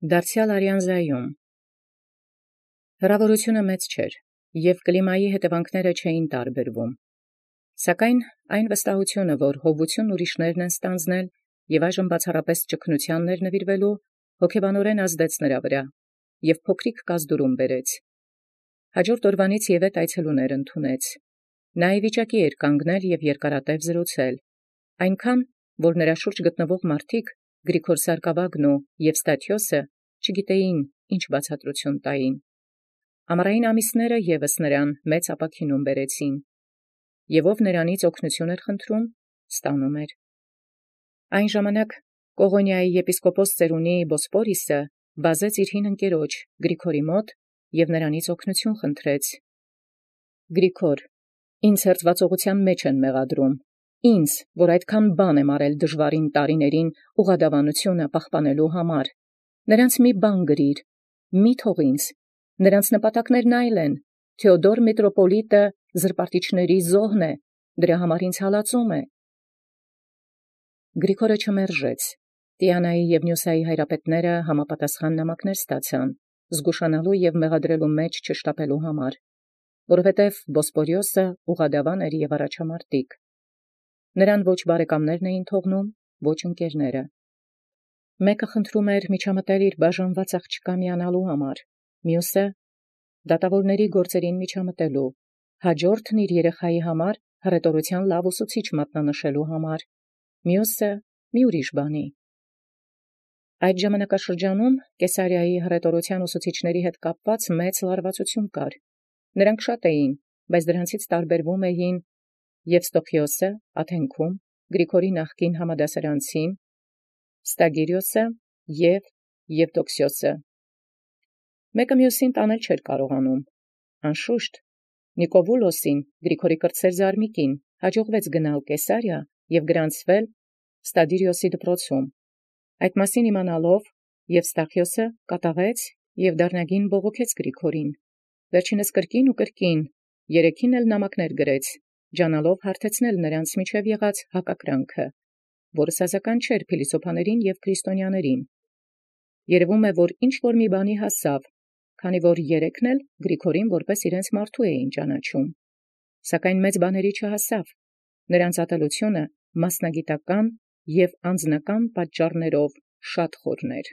Դարձեալ Արիանզայում հրաւորութիւնը մեծ չէր, եւ կլիմայի հետևանքները չէին տարբերվում. սակայն այն վստահութիւնը, որ յովութիւն ուրիշներն են ստանձնել, եւ այժմ բացառապես ճգնութեանն նվիրվելու, հոգեբանորեն ազդեց նրա վրա, եւ փոքրիկ կազդուրում բերեց. հաջորդ օրվանից Եվէթ այցելուներ ընդունեց. նա ի վիճակի էր կանգնել եւ երկարատև զրուցել, այնքան, որ նրա շուրջ գտնվող մարդիկ, Գրիգոր Սարկավագն եւ Ստաթիոսը, չգիտեին ինչ բացատրութիւն տային. ամառային ամիսները եւս նրան մեծ ապաքինում բերեցին, եւ ով նրանից օգնութիւն էր խնդրում, ստանում էր. Այն ժամանակ Կողոնիայի եպիսկոպոս ծերունի Բոսպորիսը բազեց իր հին ընկերոջ Գրիգորի մոտ եւ նրանից օգնութիւն խնդրեց. Գրիգոր, ինձ հերձուածողութեան մեջ են մեղադրում, ինձ, որ այդքան բան եմ արել դժուարին տարիներին ուղղադավանութիւնը պահպանելու համար, նրանց մի բան գրիր, մի թող ինձ, նրանց նպատակներն այլ են, Թեոդոր միտրոպոլիտը զրպարտիչների զոհն է, դրա համար ինձ հալածում է։ Գրիգորը չմերժեց. Տիանայի եւ Նյուսայի հայրապետները համապատասխան նամակներ ստացան, զգուշանալու եւ մեղադրելու մեջ չշտապելու համար, որովհետեւ Բոսպորիոսը ուղղադավան էր եւ առաջամարտիկ։ Նրան ոչ բարեկամներն էին թողնում, ոչ ընկերները։ Մեկը խնդրում էր միջամտել իր բաժանված աղջկա միանալու համար, մյուսը դատավորների գործերին միջամտելու, հաջորդն իր երեխայի համար հռետորութեան լավ ուսուցիչ մատնանշելու համար, մյուսը մի ուրիշ բանի։ Այդ ժամանակաշրջանում Կեսարիայի հռետորութեան ուսուցիչների հետ կապված մեծ լարվածություն կար։ Նրանք շատ էին, բայց դրանցից տարբերվում էին Եվստոխիոսը Աթենքում, Գրիգորի նախկին համադասարանցին, Ստագիրիոսը եւ Եվդոքսիոսը։ Մեկը մյուսին տանել չէր կարողանում։ Անշուշտ Նիկովուլոսին, Գրիգորի կրտսեր զարմիկին, հաջողվեց գնալ Կեսարիա եւ գրանցվել Ստադիրիոսի դպրոցում։ Այդ մասին իմանալով Եվստախիոսը կատաղեց եւ դառնագին բողոքեց Գրիգորին։ Վերջինս կրկին ու կրկին երեքին էլ նամակներ գրեց, ջանալով հարթեցնել նրանց միջև եղած հակակրանքը, որը սազական չէր փիլիսոփաներին եւ քրիստոնյաներին։ Երևում է, որ ինչ որ մի բանի հասավ, քանի որ երեքն էլ Գրիգորին որպես իրենց մարդու էին ճանաչում, սակայն մեծ բաների չհասավ։ Նրանց ատելությունը մասնագիտական եւ անձնական պատճառներով շատ խորն էր։